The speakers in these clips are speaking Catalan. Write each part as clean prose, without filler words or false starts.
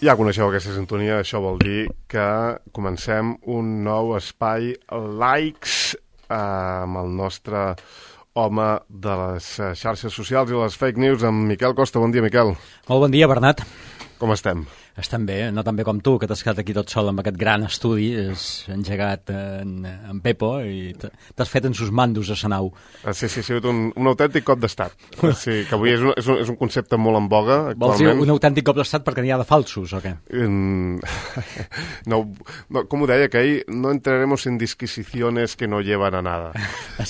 Ja coneixeu aquesta sintonia, això vol dir que comencem un nou espai Likes amb el nostre home de les xarxes socials i les fake news, amb Miquel Costa. Bon dia, Miquel. Molt bon dia, Bernat. Com estem? Estem bé, no tan bé com tu, que t'has quedat aquí tot sol amb aquest gran estudi. És engegat en Pepo i t'has fet en sus mandos a Sanau. Sí, ha sigut un autèntic cop d'estat. Sí, que avui és un concepte molt en boga actualment. Vols dir un autèntic cop d'estat perquè n'hi ha de falsos, o què? No, com ho deia aquell, no entraremos en disquisiciones que no llevan a nada.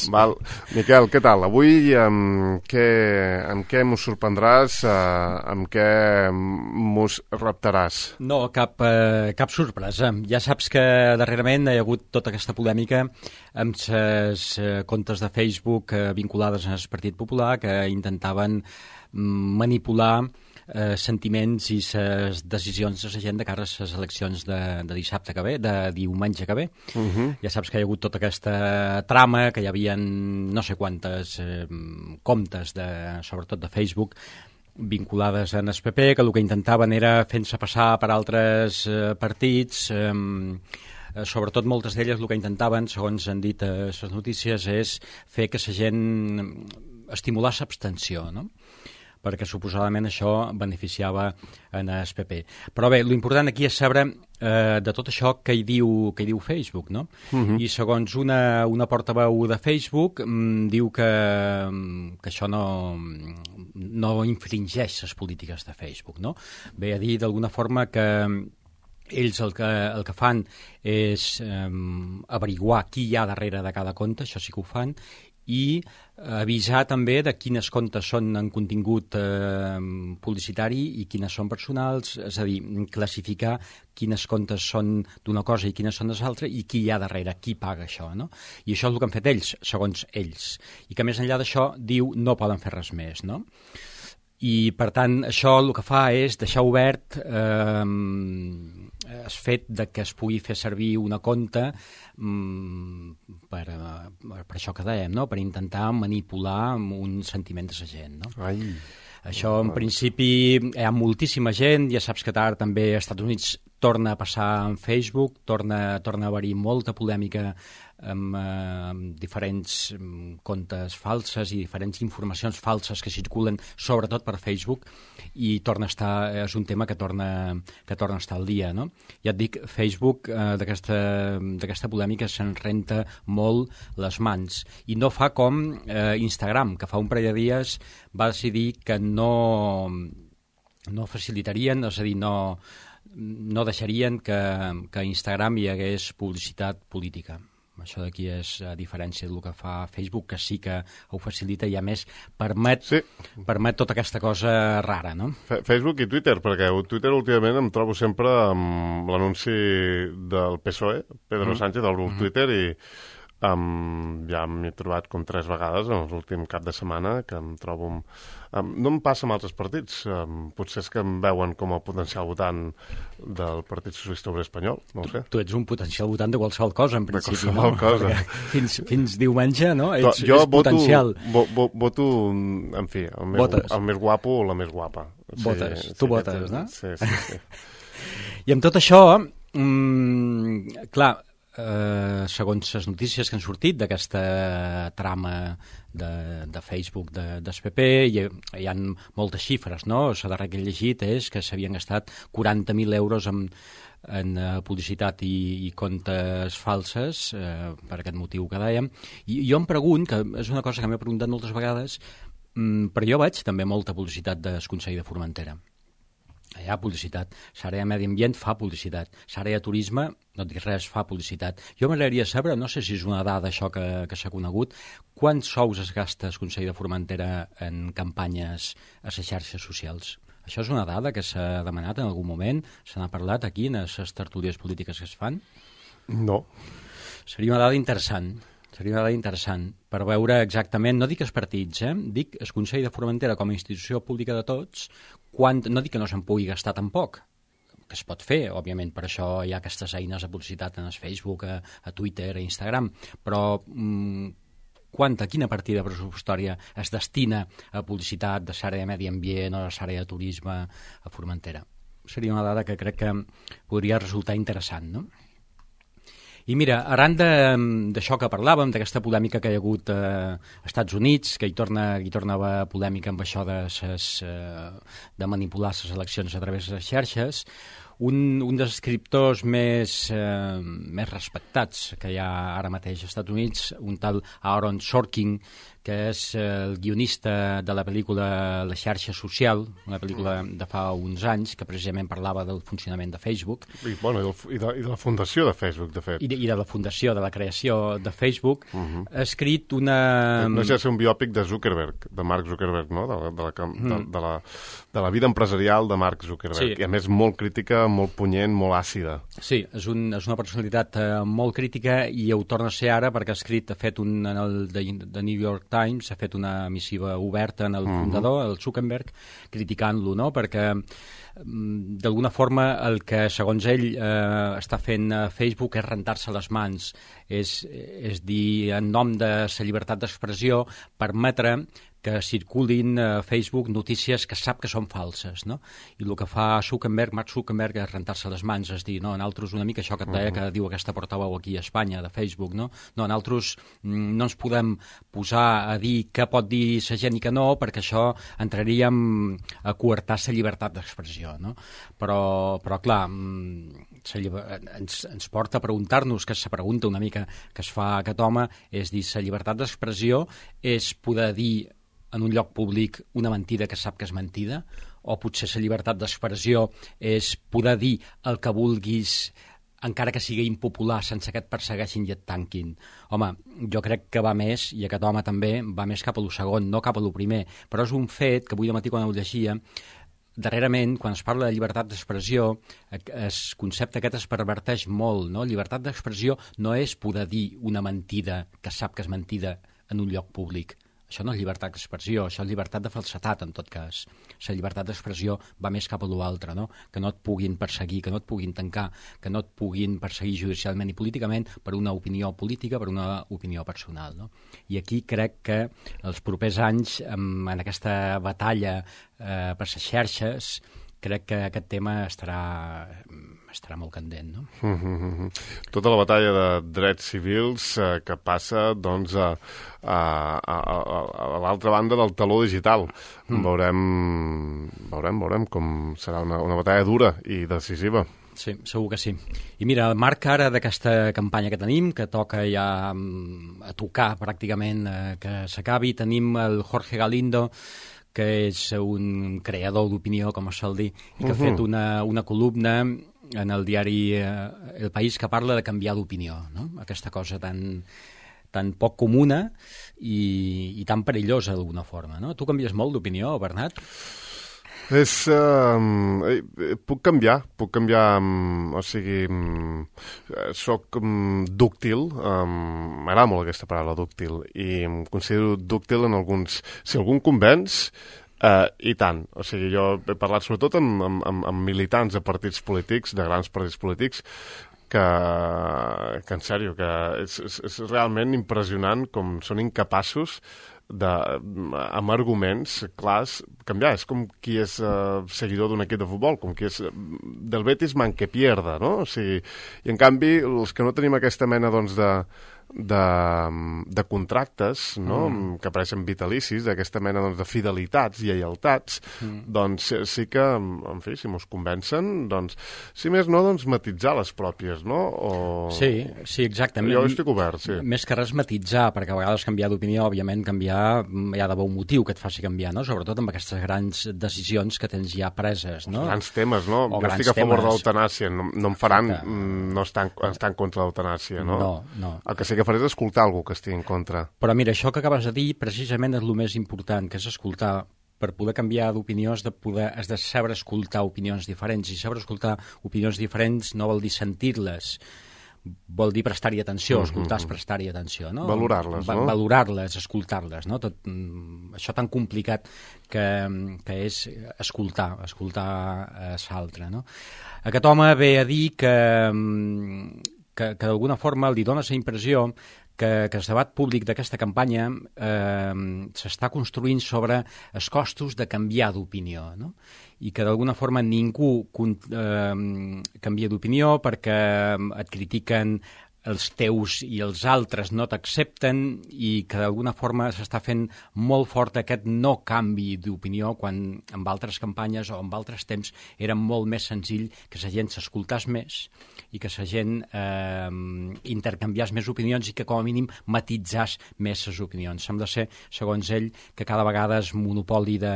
Val? Miquel, què tal? Avui amb què mos sorprendràs, amb què mos reptaràs? No, cap sorpresa. Ja saps que darrerament hi ha hagut tota aquesta polèmica amb les comptes de Facebook vinculades al Partit Popular que intentaven manipular sentiments i les decisions de la gent de cara a les eleccions de dissabte que ve, de diumenge que ve. Ja saps que hi ha hagut tota aquesta trama, que hi havia no sé quantes comptes, sobretot de Facebook, vinculades en el PP, que el que intentaven era fent-se passar per altres partits. Sobretot moltes d'elles el que intentaven, segons han dit les notícies, és fer que la gent estimular l'abstenció, no? Perquè suposadament això beneficiava en el PP. Però bé, l'important aquí és saber de tot això què hi diu Facebook, no? I segons una portaveu de Facebook diu que això no infringeix les polítiques de Facebook, no? Ve a dir d'alguna forma que ells el que fan és averiguar qui hi ha darrere de cada compte, això sí que ho fan, i avisar també de quines comptes són en contingut publicitari i quines són personals, és a dir, classificar quines comptes són d'una cosa i quines són de l'altra i qui hi ha darrere, qui paga això, no? I això és el que han fet ells, segons ells. I que més enllà d'això diu no poden fer res més, no? I per tant això el que fa és deixar obert el fet de que es pugui fer servir una compte per això que dèiem, no? Per intentar manipular un sentiment de la gent, no? Això en principi hi ha moltíssima gent, ja saps que ara també als Estats Units torna a passar en Facebook, torna a haver-hi molta polèmica amb diferents comptes falses i diferents informacions falses que circulen sobretot per Facebook i és un tema que torna a estar al dia, no? Ja et dic, Facebook d'aquesta polèmica se'n renta molt les mans i no fa com Instagram, que fa un parell de dies va decidir que no facilitarien, és a dir, no deixarien que a Instagram hi hagués publicitat política. Això d'aquí és a diferència del que fa Facebook, que sí que ho facilita i a més permet tota aquesta cosa rara, no? Facebook i Twitter, perquè Twitter últimament em trobo sempre amb l'anunci del PSOE, Pedro Sánchez, obro el Twitter i ja m'he trobat com 3 vegades en l'últim cap de setmana que em trobo... no em passa amb altres partits, potser és que em veuen com a potencial votant del Partit Socialista Obrer Espanyol, no ho sé. Tu ets un potencial votant de qualsevol cosa, en principi, no? De qualsevol cosa. Fins diumenge, no? Ets potencial. Voto, en fi, el més guapo o la més guapa. Votes, tu votes, no? Sí. I amb tot això, clar, segons les notícies que han sortit d'aquesta trama de Facebook del PP, hi ha moltes xifres, no? La darrera que he llegit és que s'havien gastat 40.000 euros en publicitat i comptes falses per aquest motiu que dèiem. I jo em pregunto, que és una cosa que m'he preguntat moltes vegades, però jo veig també molta publicitat del Consell de Formentera. Hi ha publicitat. L'àrea de Medi Ambient fa publicitat. L'àrea de Turisme, no et dic res, fa publicitat. Jo m'agradaria saber, no sé si és una dada això que s'ha conegut, quants sous es gasta el Consell de Formentera en campanyes a les xarxes socials? Això és una dada que s'ha demanat en algun moment? Se n'ha parlat aquí en les tertúlies polítiques que es fan? No. Seria una dada interessant. Seria una dada interessant per veure exactament, no dic els partits, dic el Consell de Formentera com a institució pública de tots, no dic que no se'n pugui gastar tampoc, que es pot fer, òbviament, per això hi ha aquestes eines de publicitat en el Facebook, a Twitter, a Instagram, però quina partida pressupostària es destina a publicitat de l'àrea de Medi Ambient o de l'àrea de Turisme a Formentera? seria una dada que crec que podria resultar interessant, no? I mira, arran d'això que parlàvem, d'aquesta polèmica que hi ha hagut als Estats Units, que hi torna a haver polèmica amb això de manipular les eleccions a través de les xarxes, un dels escriptors més respectats que hi ha ara mateix als Estats Units, un tal Aaron Sorkin, que és el guionista de la pel·lícula La xarxa social, una pel·lícula de fa uns anys que precisament parlava del funcionament de Facebook. I de la fundació de Facebook, de fet. I de la fundació, de la creació de Facebook. Ha escrit una... No sé, un biòpic de Zuckerberg, de Mark Zuckerberg, no? De la vida empresarial de Mark Zuckerberg. Sí. I a més molt crítica, molt punyent, molt àcida. Sí, és una personalitat molt crítica i ho torna a ser ara perquè ha fet en el The New York Times, ha fet una missiva oberta en el fundador, el Zuckerberg, criticant-lo, no? Perquè d'alguna forma el que segons ell està fent Facebook és rentar-se les mans, és dir, en nom de la llibertat d'expressió, permetre que circulin a Facebook notícies que sap que són falses, no? I el que fa Mark Zuckerberg és rentar-se les mans, és dir, no, nosaltres una mica això que et deia que diu aquesta portaveu aquí a Espanya, de Facebook, no? No, nosaltres no ens podem posar a dir què pot dir la gent i què no, perquè això entraríem a coartar la llibertat d'expressió, no? Però clar, ens porta a preguntar-nos, que és la pregunta una mica que es fa aquest home, és dir, la llibertat d'expressió és poder dir en un lloc públic una mentida que sap que és mentida, o potser la llibertat d'expressió és poder dir el que vulguis encara que sigui impopular, sense que et persegueixin i et tanquin. Home, jo crec que va més, i aquest home també, va més cap a lo segon, no cap a lo primer, però és un fet que avui de matí quan ho llegia, darrerament, quan es parla de llibertat d'expressió, el concepte aquest es perverteix molt, no? Llibertat d'expressió no és poder dir una mentida que sap que és mentida en un lloc públic. Això no és llibertat d'expressió, això és llibertat de falsedat, en tot cas. La llibertat d'expressió va més cap a l'altre, no? Que no et puguin perseguir, que no et puguin tancar, que no et puguin perseguir judicialment i políticament per una opinió política, per una opinió personal, no? I aquí crec que els propers anys, en aquesta batalla per les xarxes, crec que aquest tema estarà molt candent, no? Tota la batalla de drets civils que passa, doncs, a l'altra banda del taló digital. Veurem com serà una batalla dura i decisiva. Sí, segur que sí. I mira, el marc ara d'aquesta campanya que tenim, que toca ja a tocar pràcticament que s'acabi, tenim el Jorge Galindo, que és un creador d'opinió, com es sol dir, i que ha fet una columna en el diari El País que parla de canviar d'opinió, no? Aquesta cosa tan poc comuna i tan perillosa d'alguna forma, no? Tu canvies molt d'opinió, Bernat? Puc canviar, o sigui, soc dúctil, m'agrada molt aquesta paraula, dúctil, i em considero dúctil en alguns... Si algun convenç, i tant. O sigui, jo he parlat sobretot amb militants de partits polítics, de grans partits polítics, que en sèrio, que és realment impressionant com són incapaços amb arguments clars canviar. És com qui és seguidor d'un equip de futbol, com qui és del Betis man que pierda, no? O sigui, i en canvi els que no tenim aquesta mena doncs de contractes, no? Que apareixen vitalicis, d'aquesta mena doncs, de fidelitats i lleialtats, doncs sí que, en fi, si mos convencen, doncs, si més no, doncs matitzar les pròpies, no? Sí, exactament. Jo estic obert, sí. Més que res matitzar, perquè a vegades canviar d'opinió, òbviament canviar hi ha d'haver un motiu que et faci canviar, no? Sobretot amb aquestes grans decisions que tens ja preses, no? Grans temes, no? Jo estic a favor de l'eutanàsia, no em faran no estar en contra de l'eutanàsia, no? No. El que sí que faré és escoltar algú que estigui en contra. Però mira, això que acabes de dir precisament és el més important, que és escoltar. Per poder canviar d'opinió has de saber escoltar opinions diferents, i saber escoltar opinions diferents no vol dir sentir-les, vol dir prestar-hi atenció, escoltar és prestar-hi atenció, no? Valorarles, no? Valorarles, escoltar-les, no? Tot això tan complicat que és escoltar l'altre, no? Aquest home ve a dir que d'alguna forma li dona la impressió que el debat públic d'aquesta campanya s'està construint sobre els costos de canviar d'opinió, no? I que d'alguna forma ningú canvia d'opinió perquè et critiquen els teus i els altres no t'accepten i que d'alguna forma s'està fent molt fort aquest no canvi d'opinió quan en altres campanyes o en altres temps era molt més senzill que la gent s'escoltàs més i que la gent intercanviàs més opinions i que com a mínim matitzàs més les opinions. Sembla ser, segons ell, que cada vegada el monopoli de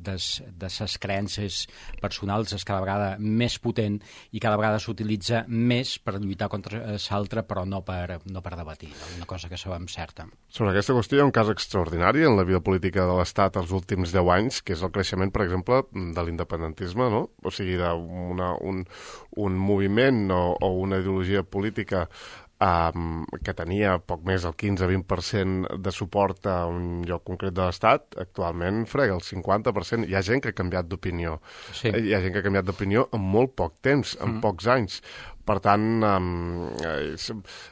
les creences personals és cada vegada més potent i cada vegada s'utilitza més per lluitar contra l'altre, però no per debatir, una cosa que sabem certa. Sobre aquesta qüestió hi ha un cas extraordinari en la vida política de l'Estat els últims 10 anys, que és el creixement, per exemple, de l'independentisme, no? O sigui, d'un moviment o una ideologia política que tenia poc més del 15-20% de suport a un lloc concret de l'Estat, actualment frega el 50%. Hi ha gent que ha canviat d'opinió. Sí. Hi ha gent que ha canviat d'opinió en molt poc temps, en pocs anys. Per tant,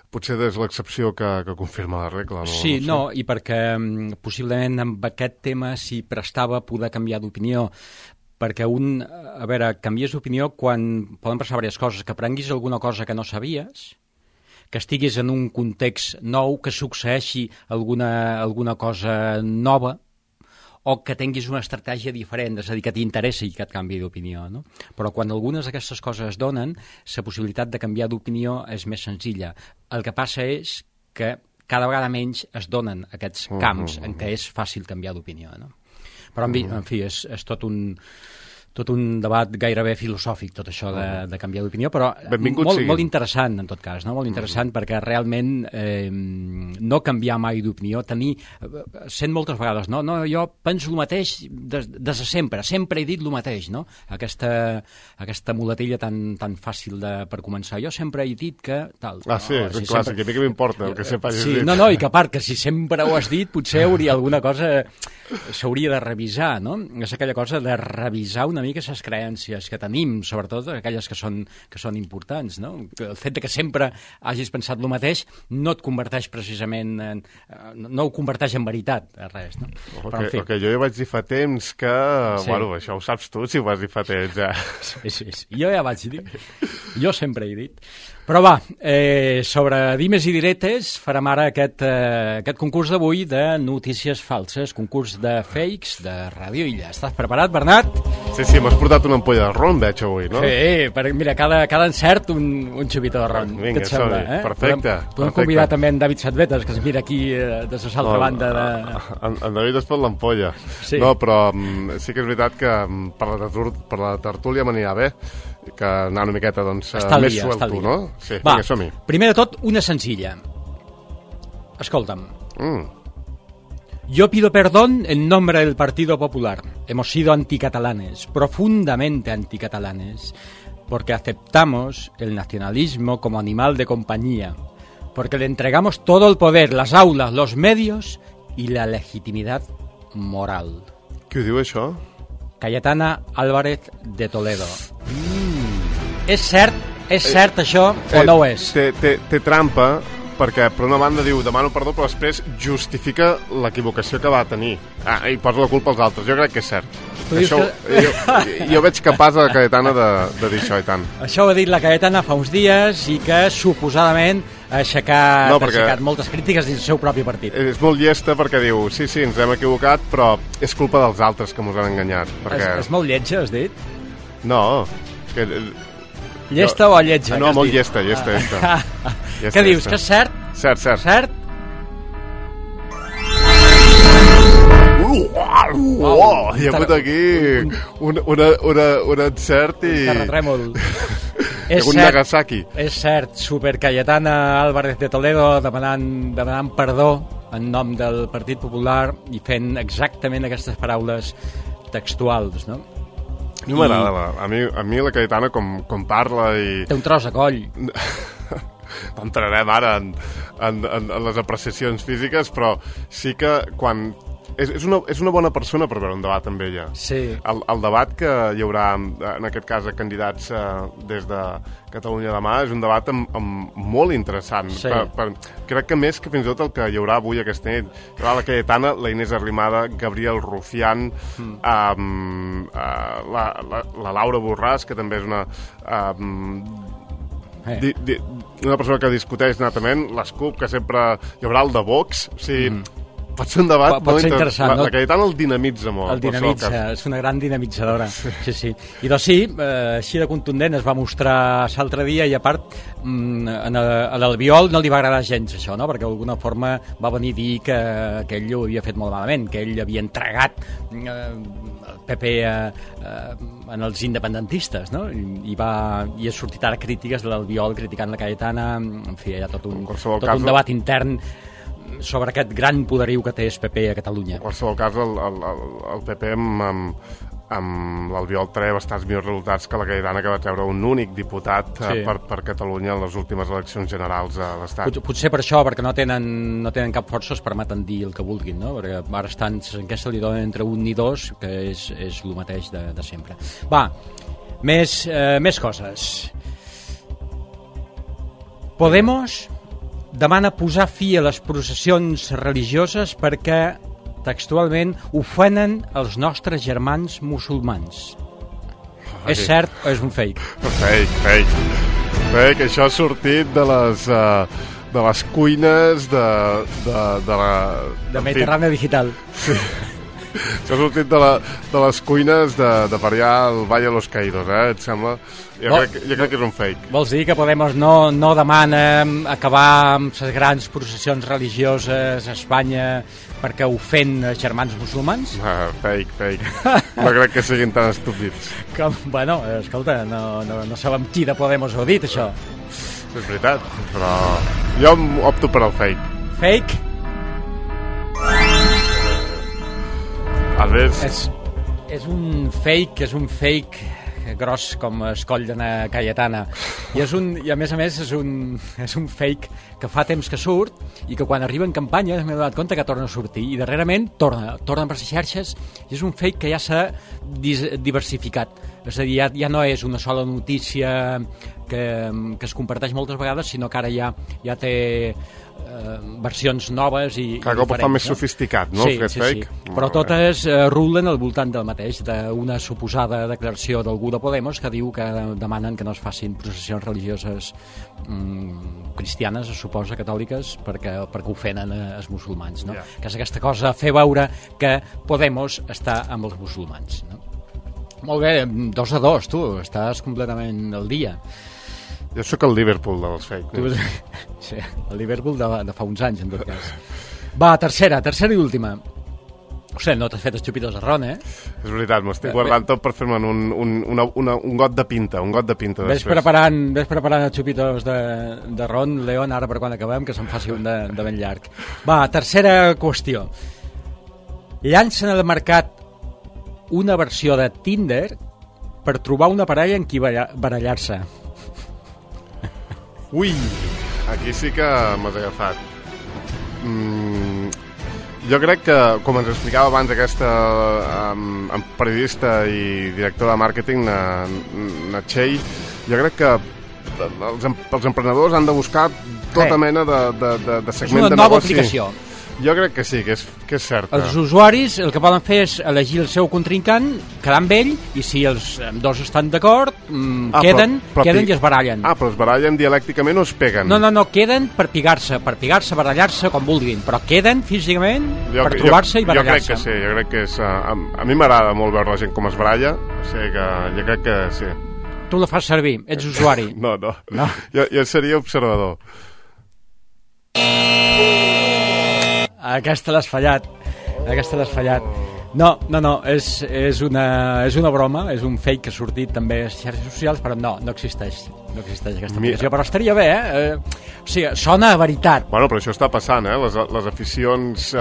potser és l'excepció que confirma la regla. No? Sí, no, i perquè possiblement amb aquest tema s'hi prestava poder canviar d'opinió, perquè canvies d'opinió quan poden passar diverses coses, que aprenguis alguna cosa que no sabies, que estiguis en un context nou, que succeeixi alguna cosa nova, o que tinguis una estratègia diferent, és a dir, que t'interessi aquest canvi d'opinió, no? Però quan algunes d'aquestes coses es donen, la possibilitat de canviar d'opinió és més senzilla. El que passa és que cada vegada menys es donen aquests camps en què és fàcil canviar d'opinió, no? Però, en fi, és tot un debat gairebé filosòfic, tot això de canviar d'opinió, però molt interessant, en tot cas, no? Molt interessant perquè realment no canviar mai d'opinió, sent moltes vegades, no, jo penso el mateix des de sempre he dit el mateix, no? Aquesta muletilla tan fàcil per començar. Jo sempre he dit que tal. Sí, és un clàssic, a mi que m'importa el que sempre hagis dit. No, i que a part, que si sempre ho has dit, potser alguna cosa s'hauria de revisar, no? És aquella cosa de revisar una mica les creences que tenim, sobretot aquelles que són importants, no? El fet que sempre hagis pensat el mateix no et converteix precisament no ho converteix en veritat, res, no? Ok, jo ja vaig dir fa temps que... Sí. Bueno, això ho saps tu, si ho vas dir fa temps, ja. Sí. Jo ja vaig dir. Jo sempre he dit. Però va, sobre dimes i diretes farem ara aquest concurs d'avui de notícies falses, concurs de fakes de Ràdio Illa. Estàs preparat, Bernat? Sí, m'has portat una ampolla de ron, veig avui, no? Sí, mira, cada encert un xupito de ron. Vinga, som-hi, perfecte. Podem convidar també en David Satvetes, que es mira aquí de l'altra banda de... En David es pot l'ampolla. Sí. No, però sí que és veritat que per la tertúlia m'anirà bé, que anar una miqueta més suelto, no? Sí, vinga, som-hi. Primer de tot, una senzilla. Escolta'm. Yo pido perdón en nombre del Partido Popular. Hemos sido anticatalanes, profundamente anticatalanes, porque aceptamos el nacionalismo como animal de compañía, porque le entregamos todo el poder, las aulas, los medios y la legitimidad moral. Qui ho diu, això? Cayetana Álvarez de Toledo. És cert això o no ho és? Té trampa, perquè per una banda diu demano perdó, però després justifica l'equivocació que va tenir. I posa la culpa als altres. Jo crec que és cert. Jo veig capaç a la Cayetana de dir això, i tant. Això ho ha dit la Cayetana fa uns dies i que suposadament ha aixecat moltes crítiques dins el seu propi partit. És molt llesta perquè diu, sí, ens hem equivocat, però és culpa dels altres que ens han enganyat. És molt lletja, has dit? No, llesta o lletja? No, molt llesta. Què dius, que és cert? Cert. Cert? Hi ha hagut aquí un encert i... Un terratrèmol. Un Nagasaki. És cert, super Cayetana Álvarez de Toledo demanant perdó en nom del Partit Popular i fent exactament aquestes paraules textuals, no? A mi m'agrada, a mi la Cayetana com parla i... Té un tros de coll. No entrarem ara en les apreciacions físiques, però sí que quan és una bona persona per veure un debat amb ella. Sí. El debat que hi haurà, en aquest cas, a candidats des de Catalunya demà, és un debat amb molt interessant. Sí. Crec que més que fins i tot el que hi haurà avui aquesta nit. Hi haurà la Cayetana, la Inés Arrimada, Gabriel Rufián, la Laura Borràs, que també és una persona que discuteix natament, l'Escup, que sempre hi haurà el de Vox, o sigui, pot ser un debat pot ser interessant. La Cayetana el dinamitza molt. El dinamitza, és una gran dinamitzadora. Sí. I doncs sí, així de contundent es va mostrar l'altre dia, i a part a l'Albiol no li va agradar gens això, no? Perquè d'alguna forma va venir a dir que ell ho havia fet molt malament, que ell havia entregat el PP en els independentistes, no? I ha sortit ara crítiques de l'Albiol criticant la Cayetana, en fi, hi ha tot un debat intern sobre aquest gran poderiu que té el PP a Catalunya. En qualsevol cas, el PP amb l'Albiol treia bastants millors resultats que la Cayetana, que va treure un únic diputat per Catalunya en les últimes eleccions generals a l'Estat. Potser per això, perquè no tenen cap força, es permeten dir el que vulguin, no? Perquè ara estan en què se li donen entre 1 i 2, que és el mateix de sempre. Va, més coses. Podemos demana posar fi a les processions religioses perquè textualment ofenen els nostres germans musulmans. És cert o és un fake? Fake. Això ha sortit de les cuines de Mediterrània Digital. Sí. Això ha sortit de les cuines de per allà al Valle de los Caídos, et sembla? Jo crec que és un fake. Vols dir que Podemos no demana acabar amb les grans processions religioses a Espanya perquè ofèn els germans musulmans? Fake. No crec que siguin tan estúpids. Bueno, escolta, no sabem qui de Podemos ho ha dit, això. És veritat, però jo opto per el fake. Fake? És un fake gros com el coll d'una Cayetana, i a més és un fake que fa temps que surt i que quan arriba en campanya m'he donat compte que torna a sortir, i darrerament torna per les xarxes, i és un fake que ja s'ha diversificat, és a dir, ja no és una sola notícia que es comparteix moltes vegades, sinó que ara ja té versions noves i cada cop fa més sofisticat, no? Sí. Però totes rulen al voltant del mateix, d'una suposada declaració d'algú de Podemos que diu que demanen que no es facin processions religioses cristianes, es suposa, catòliques, perquè ofenen els musulmans, no? Que és aquesta cosa, fer veure que Podemos està amb els musulmans, no? Molt bé, 2-2, tu, estàs completament al dia. Jo sóc el Liverpool dels fake news. Sí, el Liverpool de fa uns anys, en tot cas. Va, tercera i última. Ostres, no t'has fet estúpidos de ron, eh? És veritat, m'estic guardant tot per fer-me'n un got de pinta, Ves preparant els xupitos de ron, Leon, ara per quan acabem, que se'n faci un de ben llarg. Va, tercera qüestió. Llancen al mercat una versió de Tinder per trobar una parella en qui barallar-se. Ui, aquí sí que m'has agafat. Jo crec que, com ens explicava abans aquesta periodista i director de màrqueting, Natxell, jo crec que els emprenedors han de buscar tota mena de segment de negoci. És una nova aplicació. Jo crec que sí, que és cert. Els usuaris el que poden fer és elegir el seu contrincant, quedar amb ell, i si els dos estan d'acord, queden i es barallen. Però es barallen dialècticament o es peguen? No, queden per pigar-se, barallar-se, com vulguin, però queden físicament per trobar-se i barallar-se. Jo crec que és... A mi m'agrada molt veure la gent com es baralla, o sigui que jo crec que sí. Tu la fas servir, ets usuari. No. Jo seria observador. Aquesta l'has fallat. No, és una broma, és un fake que ha sortit també a les xarxes socials, però no existeix. no existeix aquesta aplicació, però estaria bé, o sigui, sona a veritat. Bueno, però això està passant, les aficions...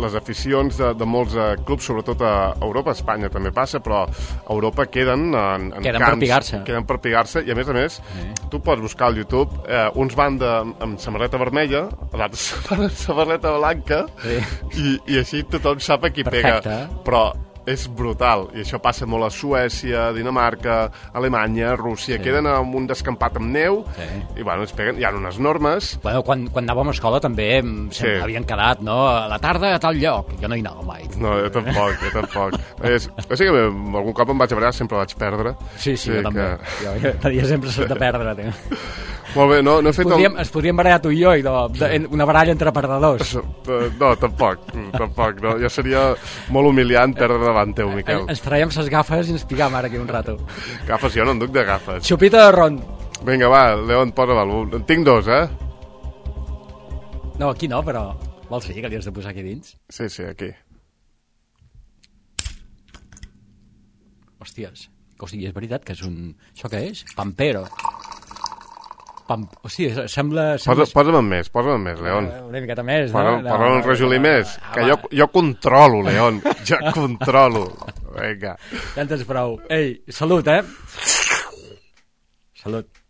les aficions de molts clubs, sobretot a Europa, a Espanya també passa, però a Europa queden en queden camps, per pigar-se. Queden per pigar-se, i a més, tu pots buscar al YouTube, uns van amb samarreta vermella, l'altre van amb samarreta blanca, i així tothom sap a qui pega. Però és brutal, i això passa molt a Suècia, Dinamarca, Alemanya, Rússia, queden en un descampat amb neu, i bueno, es peguen, hi ha unes normes. Bueno, quan anàvem a escola també havien quedat, no?, a la tarda a tal lloc, jo no hi anava mai. No, jo tampoc. O sigui que algun cop em vaig barallar, sempre vaig perdre. Sí, jo també. Jo sempre soc de perdre, tio. Molt bé, no he fet... Es podríem barallar tu i jo, una baralla entre perdedors. No, tampoc, no. Ja seria molt humiliant perdre davant teu, Miquel. Ens traiem ses gafes i ens pigam ara aquí un rato. Gafes, jo no en duc de gafes. Xupita de ron. Vinga, va, León, posa-me'l. En tinc dos, No, aquí no, però... Vols dir que li has de posar aquí dins? Sí, aquí. Hòsties, o sigui, és veritat que és un... Això què és? Pampero. O sigui, sembla... Posa'm més, León. Una miqueta més, no? Posa'm un rajolí més, que jo controlo, León. Jo controlo. Vinga. Ja en tens prou. Ei, salut, Salut.